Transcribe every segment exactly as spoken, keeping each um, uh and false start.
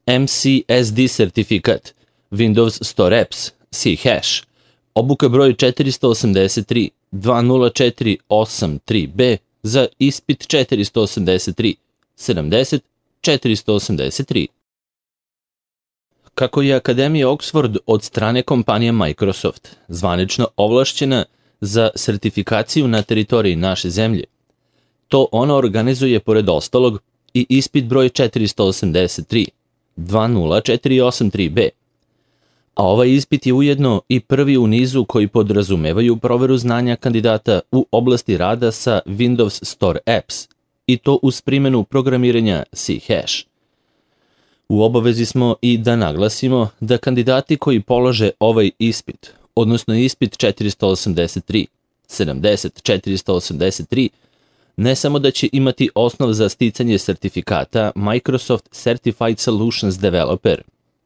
M C S D sertifikat, Windows Store Apps, C-Hash, obuka broj četiristo osamdeset tri dva nula četiri osam tri B za ispit četiristo osamdeset tri sedamdeset četiristo osamdeset tri. Kako je Akademija Oxford od strane kompanije Microsoft zvanično ovlašćena za sertifikaciju na teritoriji naše zemlje, to ona organizuje pored ostalog i ispit broj četiristo osamdeset tri dva nula četiri osam tri B. A ovaj ispit je ujedno i prvi u nizu koji podrazumevaju proveru znanja kandidata u oblasti rada sa Windows Store Apps, i to uz primjenu programiranja C-Hash. U obavezi smo i da naglasimo da kandidati koji polože ovaj ispit, odnosno ispit četiristo osamdeset tri sedamdeset četiristo osamdeset tri, ne samo da će imati osnov za sticanje sertifikata Microsoft Certified Solutions Developer,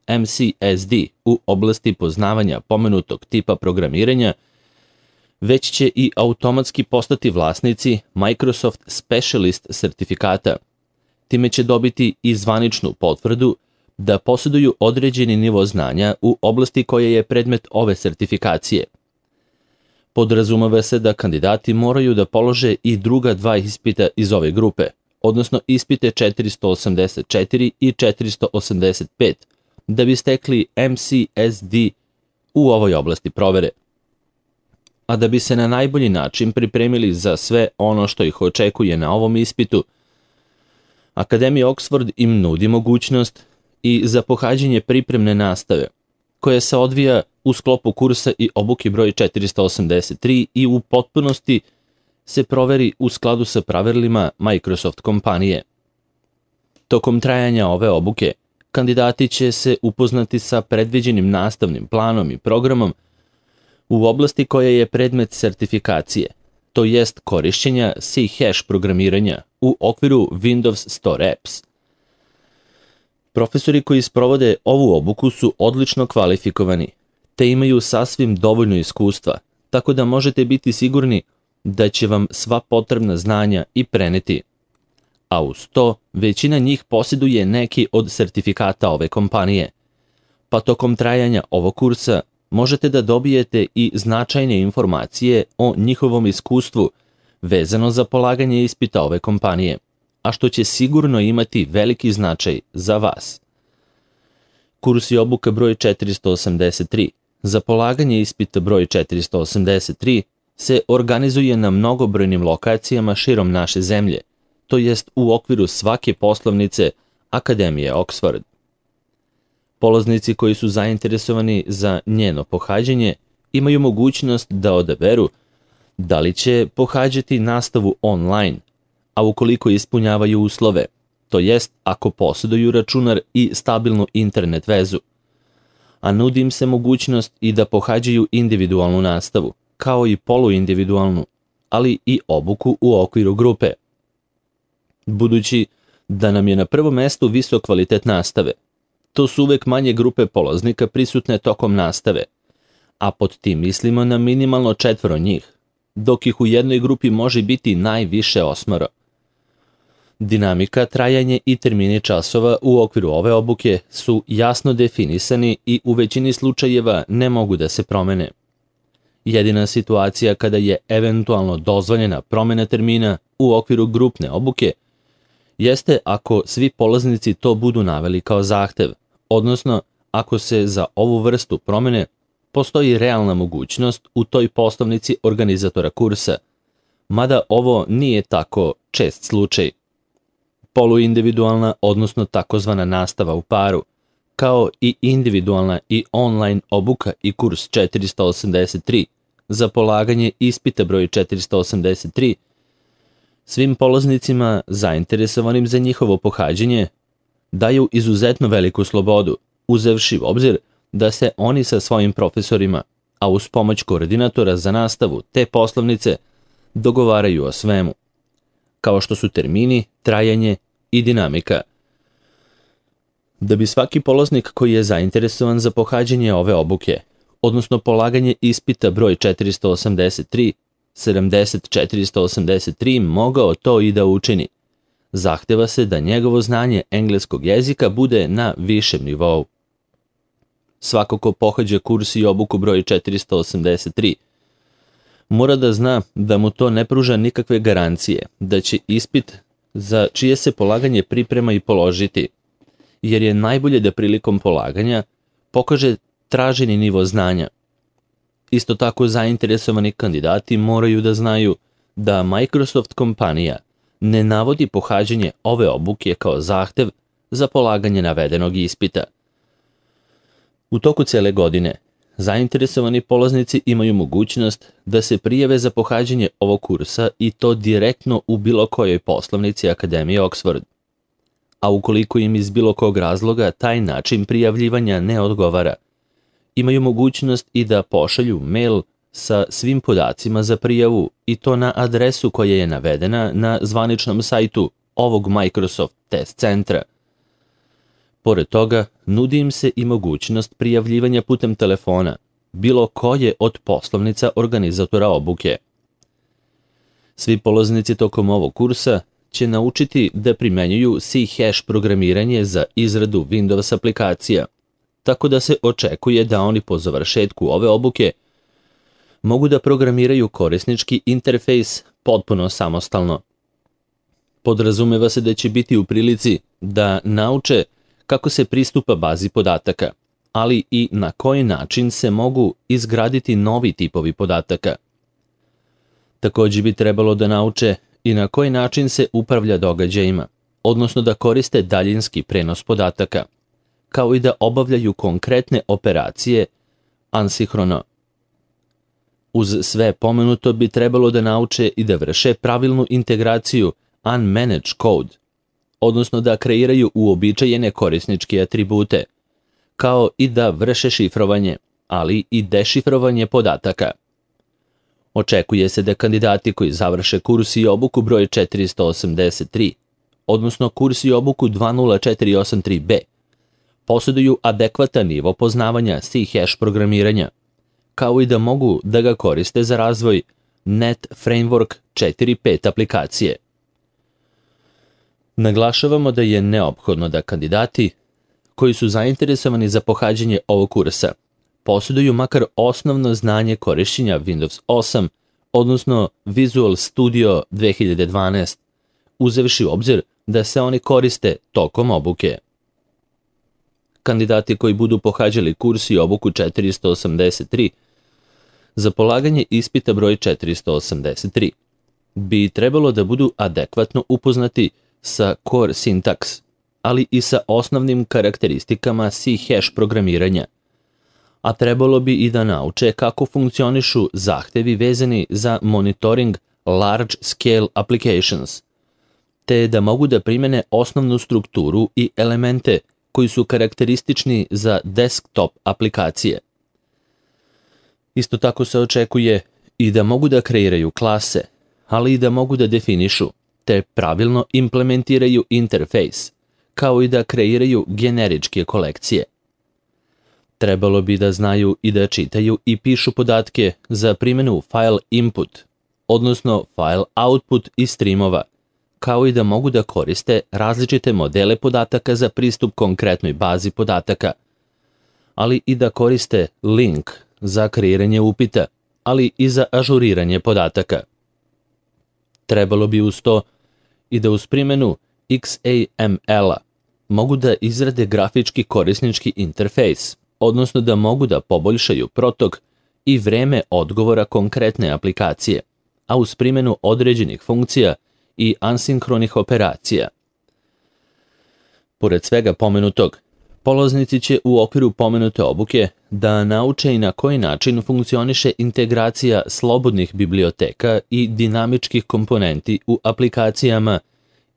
M C S D, u oblasti poznavanja pomenutog tipa programiranja, već će i automatski postati vlasnici Microsoft Specialist sertifikata. Time će dobiti i zvaničnu potvrdu da posjeduju određeni nivo znanja u oblasti koja je predmet ove sertifikacije. Podrazumeva se da kandidati moraju da polože i druga dva ispita iz ove grupe, odnosno ispite četiristo osamdeset četiri i četiristo osamdeset pet, da bi stekli M C S D u ovoj oblasti provere. A da bi se na najbolji način pripremili za sve ono što ih očekuje na ovom ispitu, Akademija Oxford im nudi mogućnost i za pohađanje pripremne nastave, koja se odvija u sklopu kursa i obuke broj četiristo osamdeset tri i u potpunosti se proveri u skladu sa pravilima Microsoft kompanije. Tokom trajanja ove obuke, kandidati će se upoznati sa predviđenim nastavnim planom i programom u oblasti koja je predmet sertifikacije, to jest korišćenja C-Hash programiranja u okviru Windows Store Apps. Profesori koji sprovode ovu obuku su odlično kvalifikovani, te imaju sasvim dovoljno iskustva, tako da možete biti sigurni da će vam sva potrebna znanja i preneti. A uz to, većina njih posjeduje neki od sertifikata ove kompanije, pa tokom trajanja ovog kursa možete da dobijete i značajne informacije o njihovom iskustvu vezano za polaganje ispita ove kompanije, a što će sigurno imati veliki značaj za vas. Kurs i obuka broj četiristo osamdeset tri za polaganje ispita broj četiristo osamdeset tri se organizuje na mnogobrojnim lokacijama širom naše zemlje, to jest u okviru svake poslovnice Akademije Oxford. Polaznici koji su zainteresovani za njeno pohađanje imaju mogućnost da odaberu da li će pohađati nastavu online, a ukoliko ispunjavaju uslove, to jest ako posjeduju računar i stabilnu internet vezu, a nudi im se mogućnost i da pohađaju individualnu nastavu, kao i poluindividualnu, ali i obuku u okviru grupe. Budući da nam je na prvom mestu visok kvalitet nastave, to su uvek manje grupe polaznika prisutne tokom nastave, a pod tim mislimo na minimalno četvoro njih, dok ih u jednoj grupi može biti najviše osmoro. Dinamika, trajanje i termini časova u okviru ove obuke su jasno definisani i u većini slučajeva ne mogu da se promene. Jedina situacija kada je eventualno dozvoljena promjena termina u okviru grupne obuke jeste ako svi polaznici to budu naveli kao zahtev, odnosno ako se za ovu vrstu promjene postoji realna mogućnost u toj poslovnici organizatora kursa, mada ovo nije tako čest slučaj. Poluindividualna, odnosno takozvana nastava u paru, kao i individualna i online obuka i kurs četiristo osamdeset tri za polaganje ispita broj četiristo osamdeset tri, svim polaznicima zainteresovanim za njihovo pohađanje daju izuzetno veliku slobodu, uzevši u obzir da se oni sa svojim profesorima, a uz pomoć koordinatora za nastavu te poslovnice, dogovaraju o svemu, kao što su termini, trajanje i dinamika. Da bi svaki polaznik koji je zainteresovan za pohađanje ove obuke, odnosno polaganje ispita broj četiristo osamdeset tri sedamdeset četiristo osamdeset tri, mogao to i da učini, zahteva se da njegovo znanje engleskog jezika bude na višem nivou. Svako ko pohađa kurs i obuku broj četiristo osamdeset tri mora da zna da mu to ne pruža nikakve garancije, da će ispit za čije se polaganje priprema i položiti, jer je najbolje da prilikom polaganja pokaže traženi nivo znanja. Isto tako zainteresovani kandidati moraju da znaju da Microsoft kompanija ne navodi pohađanje ove obuke kao zahtev za polaganje navedenog ispita. U toku cele godine, zainteresovani polaznici imaju mogućnost da se prijave za pohađanje ovog kursa i to direktno u bilo kojoj poslovnici Akademije Oxford. A ukoliko im iz bilo kog razloga taj način prijavljivanja ne odgovara, imaju mogućnost i da pošalju mail sa svim podacima za prijavu i to na adresu koja je navedena na zvaničnom sajtu ovog Microsoft test centra. Pored toga, nudi im se i mogućnost prijavljivanja putem telefona, bilo koje od poslovnica organizatora obuke. Svi polaznici tokom ovog kursa će naučiti da primenjuju C-hash programiranje za izradu Windows aplikacija, tako da se očekuje da oni po završetku ove obuke mogu da programiraju korisnički interfejs potpuno samostalno. Podrazumeva se da će biti u prilici da nauče kako se pristupa bazi podataka, ali i na koji način se mogu izgraditi novi tipovi podataka. Također bi trebalo da nauče i na koji način se upravlja događajima, odnosno da koriste daljinski prenos podataka, kao i da obavljaju konkretne operacije ansinhrono. Uz sve pomenuto bi trebalo da nauče i da vrše pravilnu integraciju unmanaged code, odnosno da kreiraju uobičajene korisničke atribute, kao i da vrše šifrovanje, ali i dešifrovanje podataka. Očekuje se da kandidati koji završe kurs i obuku broj četiristo osamdeset tri, odnosno kurs i obuku dva nula četiri osam tri B, posjeduju adekvatan nivo poznavanja C-hash programiranja, kao i da mogu da ga koriste za razvoj Net Framework četiri pet aplikacije. Naglašavamo da je neophodno da kandidati koji su zainteresovani za pohađanje ovog kursa posjeduju makar osnovno znanje korišćenja Windows osam, odnosno Visual Studio dve hiljade dvanaest, uzevši u obzir da se oni koriste tokom obuke. Kandidati koji budu pohađali kurs i obuku četiristo osamdeset tri za polaganje ispita broj četiristo osamdeset tri bi trebalo da budu adekvatno upoznati sa core syntax, ali i sa osnovnim karakteristikama C-hash programiranja, a trebalo bi i da nauče kako funkcionišu zahtevi vezani za monitoring large scale applications, te da mogu da primene osnovnu strukturu i elemente koji su karakteristični za desktop aplikacije. Isto tako se očekuje i da mogu da kreiraju klase, ali i da mogu da definišu te pravilno implementiraju interfejs, kao i da kreiraju generičke kolekcije. Trebalo bi da znaju i da čitaju i pišu podatke za primjenu file input, odnosno file output i streamova, kao i da mogu da koriste različite modele podataka za pristup konkretnoj bazi podataka, ali i da koriste link za kreiranje upita, ali i za ažuriranje podataka. Trebalo bi uz to i da uz primjenu X A M L-a mogu da izrade grafički korisnički interfejs, odnosno da mogu da poboljšaju protok i vreme odgovora konkretne aplikacije, a uz primjenu određenih funkcija i asinhronih operacija. Pored svega pomenutog, polaznici će u okviru pomenute obuke da nauče i na koji način funkcioniše integracija slobodnih biblioteka i dinamičkih komponenti u aplikacijama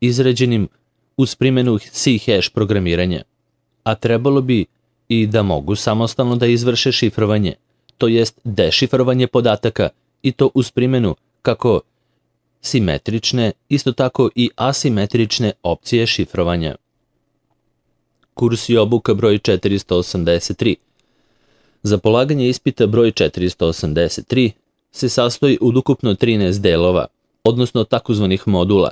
izrađenim uz primjenu C-hash programiranja, a trebalo bi i da mogu samostalno da izvrše šifrovanje, to jest dešifrovanje podataka i to uz primjenu kako simetrične, isto tako i asimetrične opcije šifrovanja. Kurs i obuka broj četiristo osamdeset tri. Za polaganje ispita broj četiristo osamdeset tri se sastoji od ukupno trinaest delova, odnosno takozvanih modula,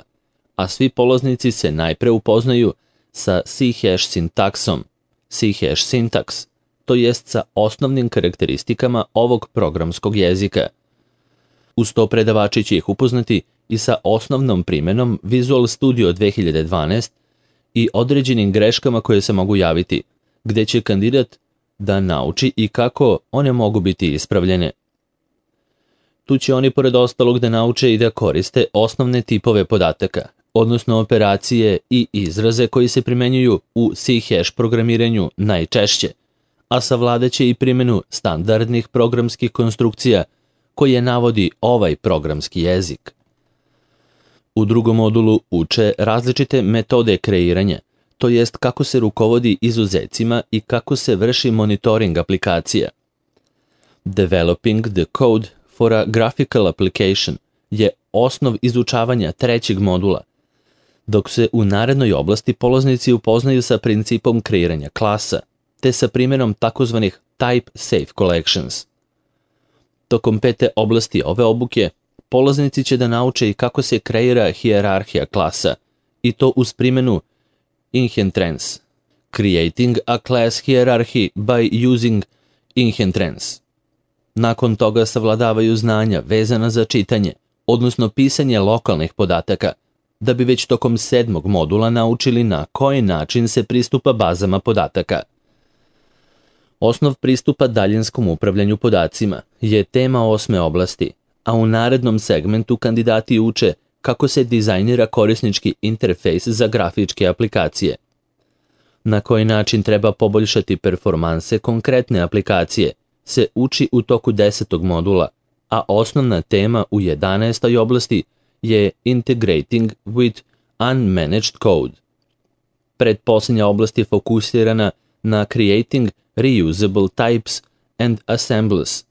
a svi polaznici se najpre upoznaju sa C-hash sintaksom, C-hash syntax, to jest sa osnovnim karakteristikama ovog programskog jezika. Uz to predavači će ih upoznati i sa osnovnom primenom Visual Studio dve hiljade dvanaest i određenim greškama koje se mogu javiti, gde će kandidat da nauči i kako one mogu biti ispravljene. Tu će oni pored ostalog da nauče i da koriste osnovne tipove podataka, odnosno operacije i izraze koji se primenjuju u C-hash programiranju najčešće, a savladaće i primjenu standardnih programskih konstrukcija koje navodi ovaj programski jezik. U drugom modulu uče različite metode kreiranja, to jest kako se rukovodi izuzecima i kako se vrši monitoring aplikacija. Developing the code for a graphical application je osnov izučavanja trećeg modula, dok se u narednoj oblasti polaznici upoznaju sa principom kreiranja klasa, te sa primjenom takozvanih type safe collections. Tokom pete oblasti ove obuke, polaznici će da nauče i kako se kreira hijerarhija klasa, i to uz primjenu inheritance, creating a class hierarchy by using inheritance. Nakon toga savladavaju znanja vezana za čitanje, odnosno pisanje lokalnih podataka, da bi već tokom sedmog modula naučili na koji način se pristupa bazama podataka. Osnov pristupa daljinskom upravljanju podacima je tema osme oblasti, a u narednom segmentu kandidati uče kako se dizajnira korisnički interfejs za grafičke aplikacije, na koji način treba poboljšati performanse konkretne aplikacije, se uči u toku desetog modula, a osnovna tema u jedanaestoj oblasti je Integrating with Unmanaged Code. Pretposljednja oblast je fokusirana na Creating Reusable Types and Assembles,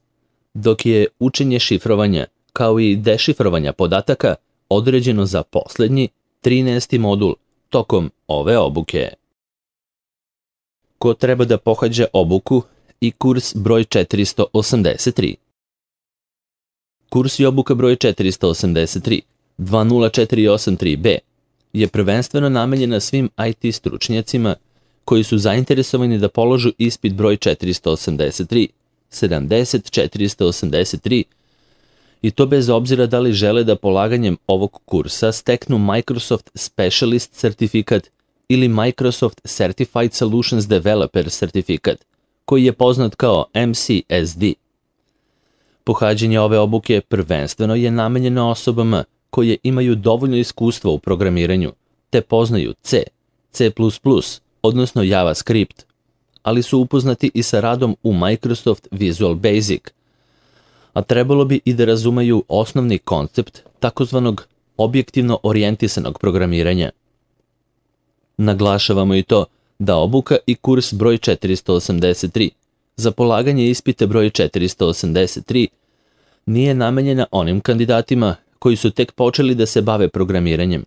dok je učenje šifrovanja kao i dešifrovanja podataka određeno za posljednji, trinaesti modul tokom ove obuke. Ko treba da pohađa obuku i kurs broj četiristo osamdeset tri? Kurs i obuka broj četiristo osamdeset tri dva nula četiri osam tri B je prvenstveno namenjena svim I T stručnjacima koji su zainteresovani da položu ispit broj četiristo osamdeset tri sedamdeset četiristo osamdeset tri i to bez obzira da li žele da polaganjem ovog kursa steknu Microsoft Specialist certifikat ili Microsoft Certified Solutions Developer certifikat, koji je poznat kao M C S D. Pohađanje ove obuke prvenstveno je namenjeno osobama koje imaju dovoljno iskustva u programiranju, te poznaju C, C plus plus, odnosno JavaScript, ali su upoznati i sa radom u Microsoft Visual Basic, a trebalo bi i da razumeju osnovni koncept takozvanog objektivno orijentisanog programiranja. Naglašavamo i to da obuka i kurs broj četiristo osamdeset tri za polaganje ispita broj četiristo osamdeset tri nije namenjena onim kandidatima koji su tek počeli da se bave programiranjem,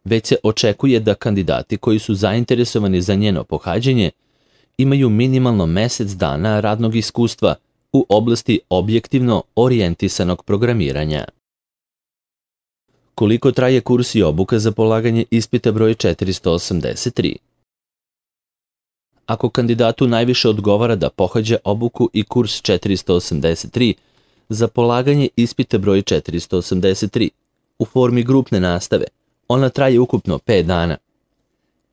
već se očekuje da kandidati koji su zainteresovani za njeno pohađanje imaju minimalno mesec dana radnog iskustva u oblasti objektivno orijentisanog programiranja. Koliko traje kurs i obuka za polaganje ispita broj četiristo osamdeset tri? Ako kandidatu najviše odgovara da pohađa obuku i kurs četiristo osamdeset tri za polaganje ispita broj četiristo osamdeset tri u formi grupne nastave, ona traje ukupno pet dana.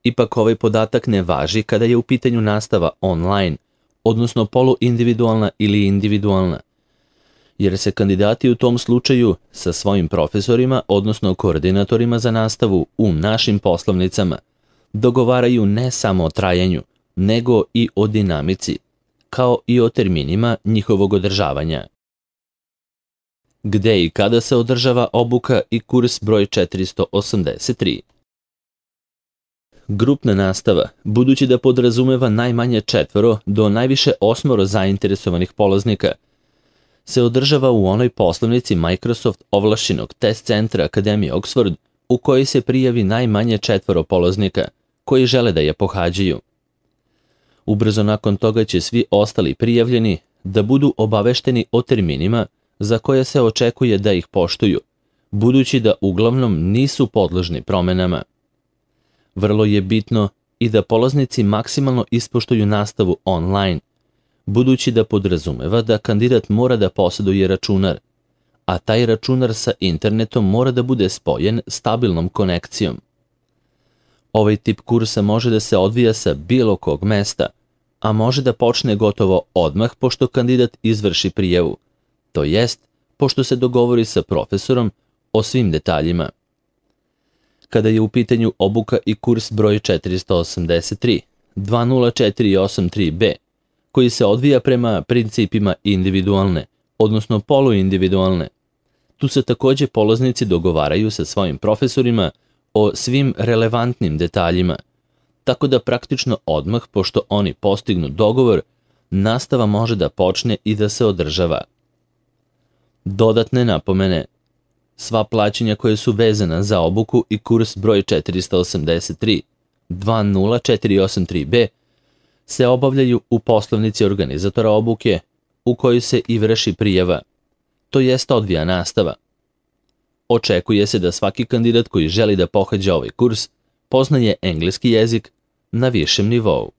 Ipak ovaj podatak ne važi kada je u pitanju nastava online, odnosno poluindividualna ili individualna, jer se kandidati u tom slučaju sa svojim profesorima, odnosno koordinatorima za nastavu u našim poslovnicama, dogovaraju ne samo o trajanju, nego i o dinamici, kao i o terminima njihovog održavanja. Gde i kada se održava obuka i kurs broj četiristo osamdeset tri? Grupna nastava, budući da podrazumeva najmanje četvoro do najviše osmoro zainteresovanih polaznika, se održava u onoj poslovnici Microsoft ovlašćenog test centra Akademije Oxford u kojoj se prijavi najmanje četvoro polaznika koji žele da je pohađaju. Ubrzo nakon toga će svi ostali prijavljeni da budu obavešteni o terminima za koje se očekuje da ih poštuju, budući da uglavnom nisu podložni promenama. Vrlo je bitno i da polaznici maksimalno ispoštuju nastavu online, budući da podrazumeva da kandidat mora da posjeduje računar, a taj računar sa internetom mora da bude spojen stabilnom konekcijom. Ovaj tip kursa može da se odvija sa bilo kog mesta, a može da počne gotovo odmah pošto kandidat izvrši prijavu, to jest pošto se dogovori sa profesorom o svim detaljima. Kada je u pitanju obuka i kurs broj četiristo osamdeset tri dva nula četiri osam tri B, koji se odvija prema principima individualne, odnosno poluindividualne, tu se takođe polaznici dogovaraju sa svojim profesorima o svim relevantnim detaljima, tako da praktično odmah, pošto oni postignu dogovor, nastava može da počne i da se održava. Dodatne napomene. Sva plaćanja koje su vezana za obuku i kurs broj četiristo osamdeset tri dva nula četiri osam tri B se obavljaju u poslovnici organizatora obuke u kojoj se i vrši prijava, to jest odvija nastava. Očekuje se da svaki kandidat koji želi da pohađa ovaj kurs poznaje engleski jezik na višem nivou.